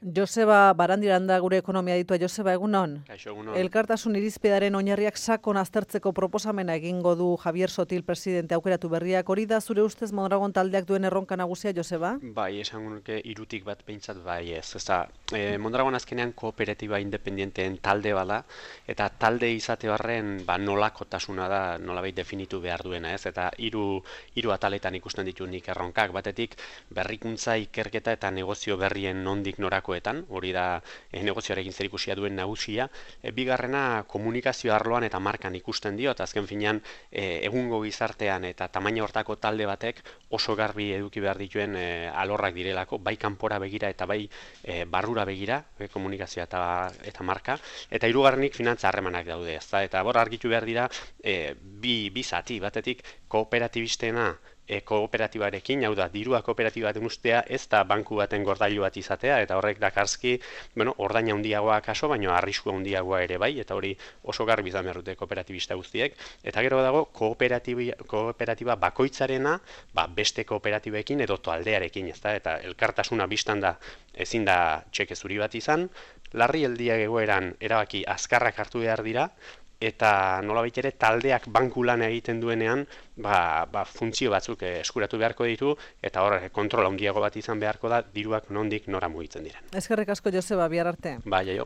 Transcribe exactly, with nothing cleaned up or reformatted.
Joseba Barandiranda gure ekonomia ditua. Joseba, egunon? Kaixo, egunon. Elkartasun irizpidearen oinarriak sakon aztertzeko proposamena egingo du Javier Sotil presidente aukeratu berriak. Hori da zure ustez Mondragon taldeak duen erronka nagusia, Joseba? Bai, esan nuke hirutik bat behintzat bai ez. Ezta, e, Mondragon azkenean kooperatiba independenteen talde bada, eta talde izate barren ba, nolakotasuna da nolabait definitu behar duena, ez? Eta hiru hiru ataletan ikusten ditu nik erronkak. Batetik, berrikuntza, ikerketa eta negozio berrien nondik norakoetan, hori da e, negozioarekin zerikusia duen nagusia. E, bigarrena, komunikazio arloan eta markan ikusten dio, eta azken finean e, egungo gizartean eta tamaina hortako talde batek oso garbi eduki behar dituen e, alorrak direlako, bai kanpora begira eta bai e, barrura begira, e, komunikazioa eta, eta marka, eta hirugarrenik finantza harremanak daude, ezta? Eta bor argitu behar dira e, bi, bi zati, batetik kooperatibistena e, kooperatibarekin, hau da, dirua kooperatibaten ustea ez da banku baten gordailu bat izatea, eta horrek dakarski, bueno, ordaina handiagoa kaso, baina arrisku handiagoa ere bai, eta hori oso garbi izan behar dute kooperatibista guztiek, eta gero dago kooperatiba, kooperatiba bakoitzarena, ba, beste kooperatibekin edo taldearekin, ezta? Eta elkartasuna bistan da ezin da txeke zuri bat izan, larrialdiak egoeran erabaki azkarrak hartu behar dira, eta nolabait ere taldeak banku lan egiten duenean ba, ba, funtzio batzuk eskuratu beharko ditu, eta hor kontrol handiago bat izan beharko da diruak nondik nora mugitzen diren. Eskerrik asko, Joseba, bihar arte. Bai, aio.